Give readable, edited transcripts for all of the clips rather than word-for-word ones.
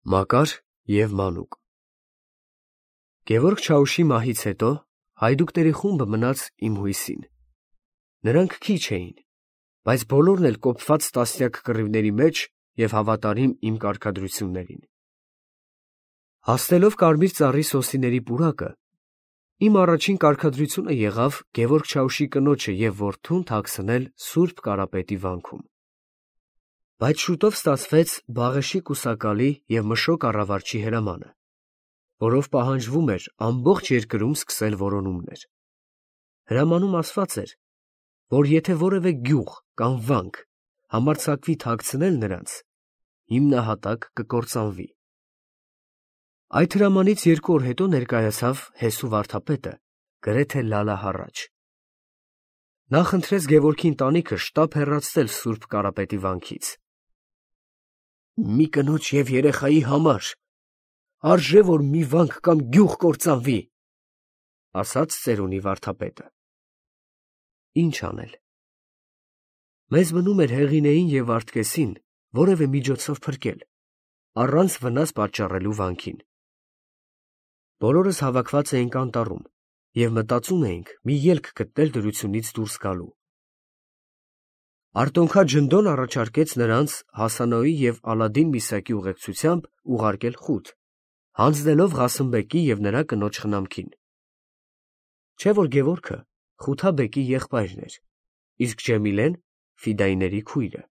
Մակար և Մանուկ Գևորգ Չաուշի մահից հետո հայդուկների խումբը մնաց իմ հույսին. նրանք քիչ էին, բայց բոլորն էլ կոփված տասնյակ կռիվների մեջ և հավատարիմ իմ կարգադրություններին։ Հասնելով Կարմիր ծառի սոսիների պուրակը, իմ առաջին կարգադրությունը եղավ Գևորգ Չաուշի կնոջը և որդուն թաքցնել Սուրբ Կարապետի վանքում։ Բայց շուտով ստացվեց Բաղեշի կուսակալի և Մշո կառավարչի հրամանը, որով պահանջվում էր ամբողջ երկրում սկսել որոնումներ։ Հրամանում ասված էր, որ եթե որևէ գյուղ կամ վանք համարձակվի թաքցնել նրանց, հիմնահատակ կկործանվի։ Այդ հրամանից 2 օր հետո ներկայացավ Հեսու վարդապետը, գրեթե լալահառաջ։ Նա խնդրեց Գևորգի ընտանիքը շտապ հեռացնել Սուրբ Կարապետի վանքից։ «Մի կնոջ և երեխայի համար արժե, որ մի վանք կամ գյուղ կործանվի», ասաց ծերունի վարդապետը։ Ինչ անել։ Մեզ մնում էր Հեղինեին և Վարդգեսին որևէ միջոցով փրկել, առանց վնաս պատճառելու վանքին։ Բոլորս հավաքված էինք անտառում և մտածում էինք մի ելք գտնել դրությունից դուրս գալու։ Արտոնքա Ջնդոն առաջարկեց նրանց Հասանոյի և Ալադին Միսակի ուղեկցությամբ ուղարկել խուտ, հանձնելով Ղասիմբեկի և նրա կնոջ խնամքին։ Չէ՞ որ Գևորգը Խութաբեկի եղբայրն էր, իսկ Ջեմիլեն Ֆիդայիների քույրը։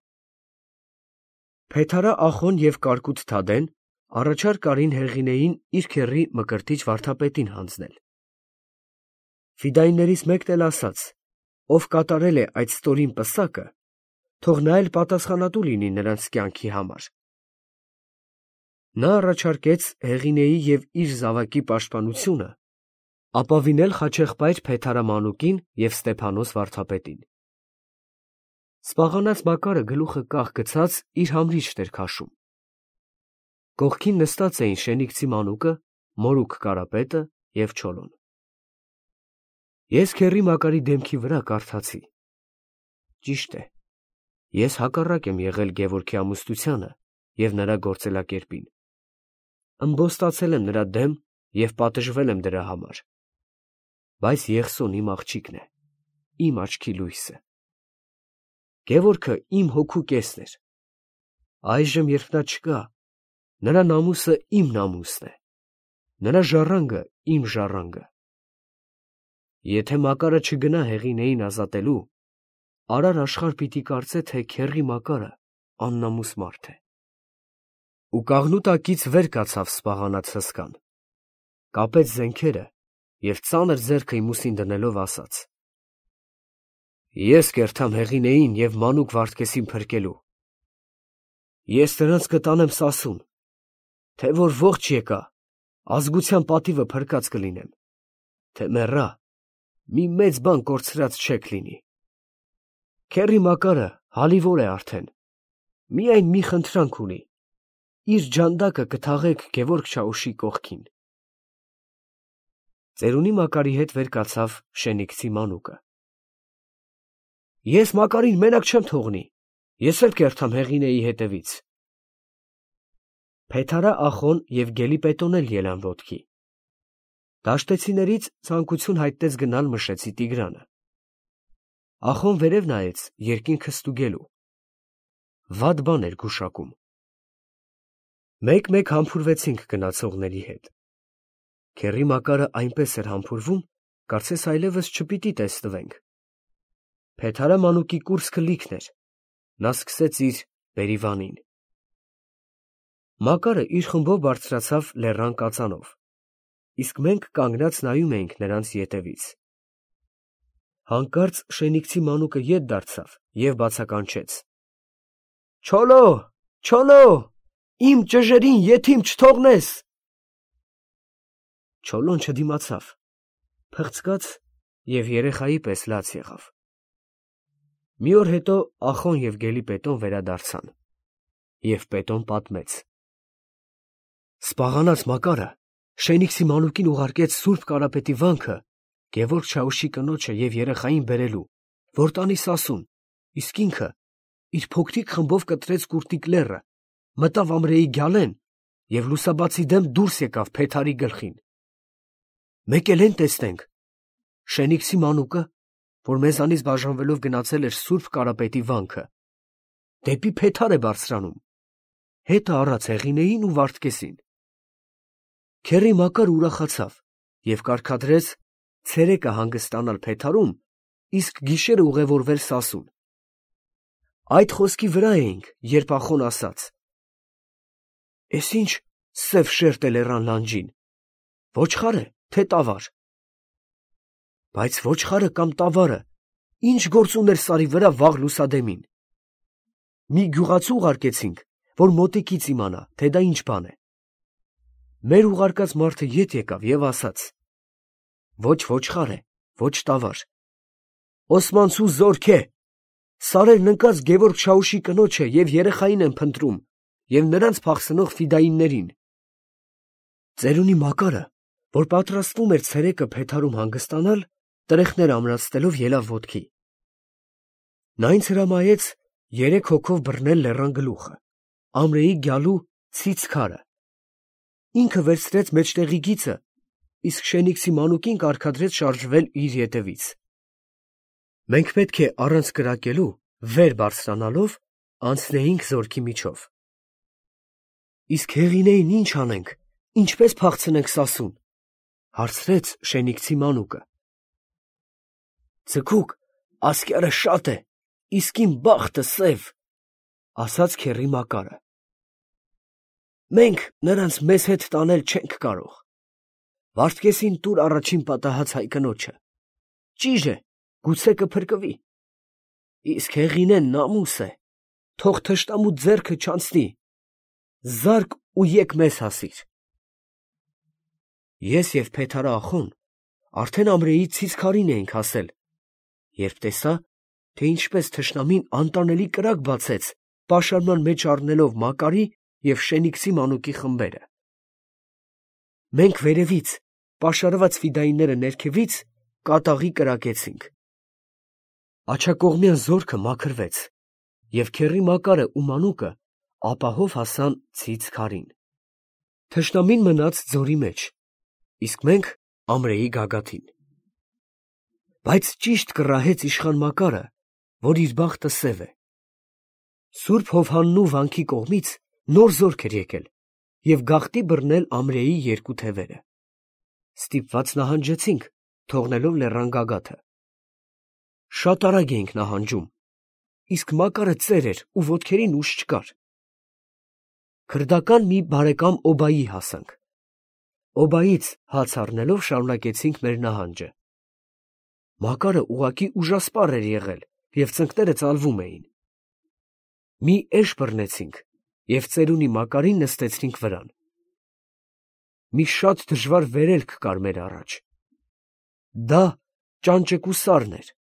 Փեթարա Ախոն և Կարկուտ Թադեն առաջարկ արին Հեղինեին իր քեռի Մկրտիչ վարդապետին հանձնել։ Ֆիդայիներից մեկն էլ ասաց, ով կատարել է այդ ստորին պսակը, թող նա էլ պատասխանատու լինի նրանց կյանքի համար։ Նա առաջարկեց Հեղինեի և իր զավակի պաշտպանությունը ապավինել խաչեղբայր Փեթարա Մանուկին և Ստեփանոս վարդապետին։ Սպաղանած Մակարը գլուխը կախ գցած իր համրիչն էր քաշում։ Կողքին նստած էին Շենիքցի Մանուկը, Մորուք Կարապետը և Չոլոն։ Ես քեռի Մակարի դեմքի վրա կարդացի. ճիշտ է, ես հակառակ եմ եղել Գևորգի ամուսնությանը և նրա գործելակերպին, ըմբոստացել եմ նրա դեմ և պատժվել եմ դրա համար, բայց Եղսոն իմ աղջիկն է, իմ աչքի լույսը։ Գևորգը իմ հոգու կեսն էր։ Այժմ, երբ նա չկա, նրա նամուսը իմ նամուսն է, նրա ժառանգը իմ ժառանգը։ Եթե Մակարը չգնա Հեղինեին ազատելու, արար աշխարհ պիտի կարծե, թե քեռի Մակարը աննամուս մարդ է։ Ու կաղնու տակից վեր կացավ սպաղանած հսկան, կապեց զենքերը և ծանր ձեռքը իմ ուսին դնելով ասաց. «Ես կերթամ Հեղինեին և Մանուկ Վարդգեսին փրկելու։ Ես նրանց կտանեմ Սասուն, թե որ ողջ եկա, ազգության պատիվը փրկած կլինեմ, թե մեռա, մի մեծ բան կորցրած չեք լինի։ Քեռի Մակարը հալիվոր է արդեն, միայն մի խնդրանք ունի, իր ջանդակը կթաղեք Գևորգ Չաուշի կողքին»։ Ծերունի Մակարի հետ վեր կացավ Շենիքցի Մանուկը։ «Ես Մակարին մենակ չեմ թողնի, ես էլ կերթամ Հեղինեի հետևից»։ Փեթարա Ախոն և Գելիպետոն էլ ելան ոտքի։ Դաշտեցիներից ցանկություն հայտնեց գնալ Մշեցի Տիգրանը։ Ախոն վերև նայեց երկինքը ստուգելու։ Վատ բան էր գուշակում։ Մեկ-մեկ համբուրվեցինք գնացողների հետ։ Քեռի Մակարը այնպես էր համբուրվում, կարծես այլևս չպիտի տեսնվենք։ Փեթարա Մանուկի կուրծքը լիքն էր, նա սկսեց իր բերիվանին։ Մակարը իր խումբով բարձրացավ լեռան կածանով, իսկ մենք կանգնած նայում էինք նրանց ետևից։ Հանկարծ Շենիքցի Մանուկը ետ դարձավ և բացականչեց. «Չոլո, Չոլո, իմ ճժերին եթիմ չթողնես»։ Չոլոն չդիմացավ, փղցկաց և երեխայի պես լաց եղավ։ Մի օր հետո Ախոն և Գելիպետոն վերադարձան, և Պետոն պատմեց. «Սպաղանած Մակարը Շենիքցի Մանուկին ուղարկեց Սուրբ Կարապետի վանքը Գևորգ Չաուշի կնոջը և երեխային բերելու, որ տանի Սասուն, իսկ ինքը իր փոքրիկ խմբով կտրեց Կուրտիկ լեռը, մտավ Ամրեի գյալեն և լուսաբացի դեմ դուրս եկավ Փեթարի գլխին։ Մեկ էլ են տեսնենք, Շենիքսի մանուկը, որ մեզանից բաժանվելով գնացել էր Սուրբ Կարապետի վանքը, դեպի Փեթար է բարձրանում, հետը առած Հեղինեին ու Վարդգեսին։ Քեռի Մակար ուրախացավ և կարգադրեց ցերեկը հանգստանալ Փեթարում, իսկ գիշերը ուղևորվել Սասուն։ Այդ խոսքի վրա էինք, երբ Ախոն ասաց. «Էս ինչ սև շերտ է լեռան լանջին, ոչխար է, թե տավար»։ Բայց ոչխարը կամ տավարը ինչ գործ ուներ սարի վրա վաղ լուսադեմին։ Մի գյուղացու ուղարկեցինք, որ մոտիկից իմանա, թե դա ինչ բան է։ Մեր ուղարկած մարդը ետ եկավ և ասաց. «Ոչ ոչխար է, ոչ տավար. Օսմանցու զորք է, սարերն ընկած Գևորգ Չաուշի կնոջը և երեխային են փնտրում և նրանց փախցնող ֆիդայիններին»։ Ծերունի Մակարը, որ պատրաստվում էր ցերեկը Փեթարում հանգստանալ, տրեխներ ամրացնելով ելավ ոտքի։ Նա ինձ հրամայեց 3 հոգով բռնել լեռան գլուխը, ամրեի գյալու ցից քարը։ Ինքը վերցրեց մեջտեղի գիծը, իսկ Շենիքսի մանուկին կարգադրեց շարժվել իր ետևից։ Մենք պետք է առանց կրակելու, վեր բարձրանալով, անցնեինք զորքի միջով։ Իսկ Հեղինեին ինչ անենք, ինչպես փախցնենք Սասուն, հարցրեց Շենիքսի մանուկը։ Ձգուկ, ասկյարը շատ է, իսկ իմ բախտը սև, ասաց քեռի Մակարը։ Մենք նրանց մեզ հետ տանել չենք կարող։ Վարդգեսին տուր առաջին պատահած հայ կնոջը։ Ճիժ է, գուցե կփրկվի։ Իսկ Հեղինեն նամուս է, թող թշնամու ձեռքը չանցնի։ Զարկ ու եկ մեզ հասիր։ Ես և Փեթարը Ախոն արդեն ամրեի ցից քարին էինք հասել, երբ տեսա, թե ինչպես թշնամին անտանելի կրակ բացեց, պաշարման մեջ առնելով Մակարի և Շենիքսի մանուկի խմբերը։ Մենք վերևից, պաշարված ֆիդայինները ներքևից, կատաղի կրակեցինք։ Աջակողմյան զորքը մաքրվեց, և քեռի Մակարը ու մանուկը ապահով հասան ցից քարին։ Թշնամին մնաց ձորի մեջ, իսկ մենք ամրեի գագաթին։ Բայց ճիշտ կռահեց իշխան Մակարը, որ իր բախտը սև է։ Սուրբ Հովհաննու վանքի կողմից նոր զորք էր եկել և գաղտնի բռնել ամրեի 2 թևերը։ Ստիպված նահանջեցինք, թողնելով լեռան գագաթը։ Շատ արագ էինք նահանջում, իսկ Մակարը ծեր էր ու ոտքերին ուժ չկար։ Քրդական մի բարեկամ օբայի հասանք։ Օբայից հաց առնելով շարունակեցինք մեր նահանջը։ Մակարը ուղղակի ուժասպառ էր եղել և ծնկները ծալվում էին։ Մի էշ բռնեցինք և ծերունի Մակարին նստեցրինք վրան։ Մի շատ դժվար վերելք կար մեր առաջ։ Դա ճանճկու սարն էր։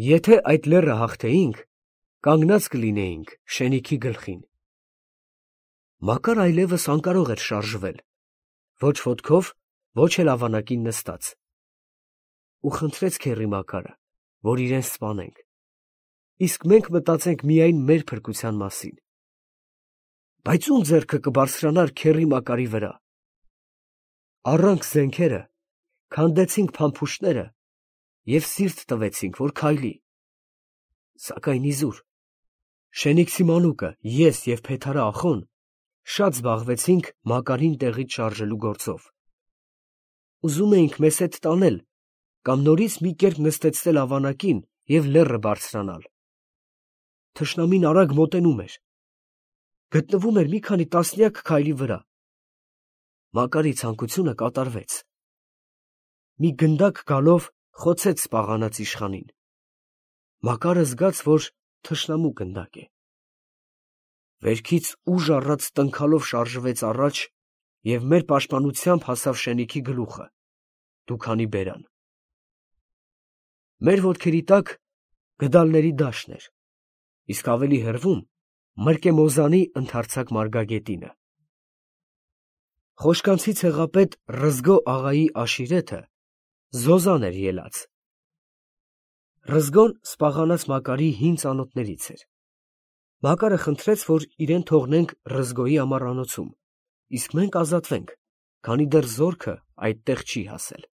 Եթե այդ լեռը հաղթեինք, կանգնած կլինեինք Շենիքի գլխին։ Մակար այլևս անկարող էր շարժվել, ոչ ոտքով, ոչ էլ ավանակին նստած։ Ու խնդրեց քեռի Մակարը, որ իրեն սպանենք, իսկ մենք մտածենք միայն մեր փրկության մասին։ Բայց ում ձեռքը կբարձրանար քեռի Մակարի վրա։ Առանք զենքերը, քանդեցինք փամփուշտները և սիրտ տվեցինք, որ քայլի։ Սակայն իզուր, Շենիքսի մանուկը, ես և Փեթարը Ախոն շատ զբաղվեցինք Մակարին տեղից շարժելու գործով։ Ուզում էինք մեզ հետ տանել կամ նորից մի կերպ նստեցնել ավանակին և լեռը բարձրանալ։ Թշնամին արագ մոտենում էր։ Գտնվում էր մի քանի տասնյակ քայլի վրա։ Մակարի ցանկությունը կատարվեց։ Մի գնդակ գալով խոցեց սպաղանած իշխանին։ Մակարը զգաց, որ թշնամու գնդակ է։ Վերքից ուժ առած տնքալով շարժվեց առաջ և մեր պաշտպանությամբ հասավ Շենիքի գլուխը, դուքանի բերան։ Մեր ոտքերի տակ գդալների դաշտն էր, իսկ ավելի հեռվում Մրկեմոզանի ընդարձակ մարգագետինը։ Խոշկանցի ցեղապետ Ռզգո աղայի աշիրեթը Զոզան էր ելած։ Ռզգոն սպաղանած Մակարի հին ծանոթներից էր։ Մակարը խնդրեց, որ իրեն թողնենք Ռզգոյի ամառանոցում, իսկ մենք ազատվենք, քանի դեռ զորքը այդտեղ չի հասել։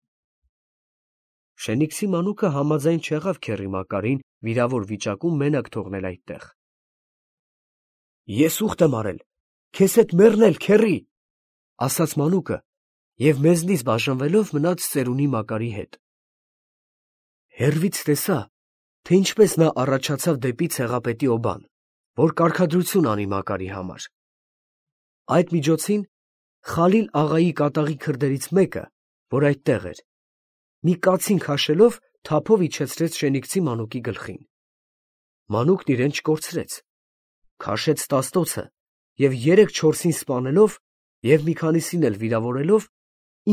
Շենիքսի մանուկը համաձայն չեղավ քեռի Մակարին վիրավոր վիճակում մենակ թողնել այդտեղ։ Ես ուխտ եմ արել, քեզ հետ մեռնել, քեռի, ասաց մանուկը և մեզնից բաժանվելով մնաց ծերունի Մակարի հետ։ Հեռվից տեսա, թե ինչպես նա առաջացավ դեպի ցեղապետի օբան, որ կարգադրություն անի Մակարի համար։ Այդ միջոցին Խալիլ աղայի կատաղի քրդերից մեկը, որ այդտեղ էր, մի կացին քաշելով թափով իջեցրեց Շենիքսի մանուկի գլխին։ Մանուկն իրեն չկորցրեց, քաշեց տաստոցը և 3-4-ին սպանելով և մի քանիսին էլ վիրավորելով,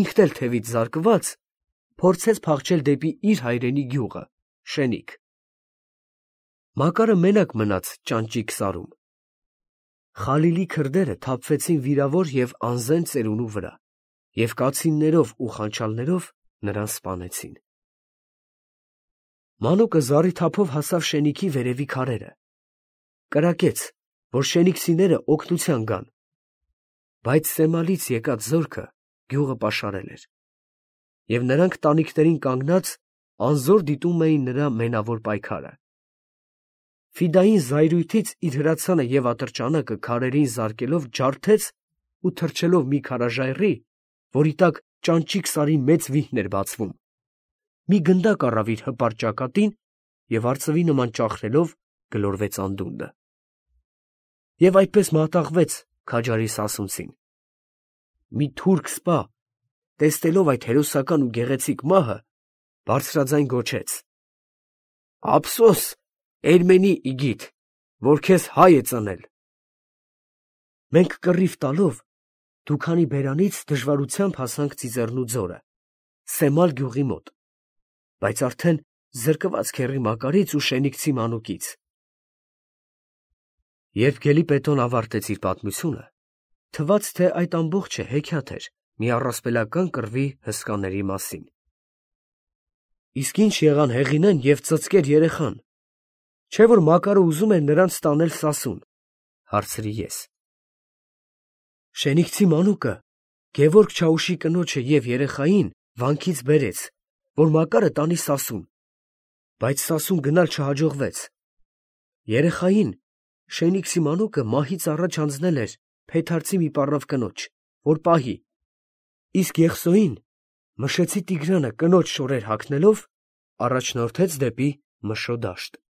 ինքն էլ թևից զարկված, փորձեց փախչել դեպի իր հայրենի գյուղը, Շենիք։ Մակարը մենակ մնաց ճանճիկ սարում։ Խալիլի քրդերը թափվեցին վիրավոր և անզեն ծերունու վրա և կացիններով ու խանչալներով նրան սպանեցին։ Մանուկը զառի թափով հասավ Շենիքի վերևի քարերը, կրակեց, որ շենիքսիները օգնության գան, բայց Սեմալից եկած զորքը գյուղը պաշարել էր, և նրանք տանիքներին կանգնած անզոր դիտում էին նրա մենավոր պայքարը։ Ֆիդային զայրույթից իր հրացանը և ատրճանակը քարերին զարկելով ջարդեց ու թռչելով մի քարաժայռի, որի տակ ճանճիկ սարի մեծ վիհն էր բացվում, մի գնդակ առավ իր հպարտ ճակատին և արծվի նման ճախրելով գլորվեց անդունդը։ Եվ այդպես մատաղվեց քաջարի սասունցին։ Մի թուրք սպա, տեսնելով այդ հերոսական ու գեղեցիկ մահը, բարձրաձայն գոչեց. «Ափսոս, Էրմենի իգիթ, որ քեզ հայ է ծնել»։ Մենք կռիվ տալով դու քանի բերանից դժվարությամբ հասանք Ծիծեռնու ձորը, Սեմալ գյուղի մոտ, բայց արդեն զրկված քեռի Մակարից ու Շենիքսի մանուկից։ Երբ Գելիպետոն ավարտեց իր պատմությունը, թվաց, թե այդ ամբողջը հեքիաթ էր մի առասպելական կռվի հսկաների մասին։ Իսկ ինչ եղան Հեղինեն և ծծկեր երեխան, չէ՞ որ Մակարը ուզում էր նրանց տանել Սասուն, հարցրի ես։ Շենիքսի մանուկը Գևորգ Չաուշի կնոջը և երեխային վանքից բերեց, որ Մակարը տանի Սասուն, բայց Սասուն գնալ չհաջողվեց։ Երեխային Շենիքսի մանուկը մահից առաջ հանձնել էր Փեթարցի մի պառավ կնոջ, որ պահի, իսկ Եղսոյին Մշեցի Տիգրանը կնոջ շորեր հագնելով առաջնորդեց դեպի Մշո դաշտ։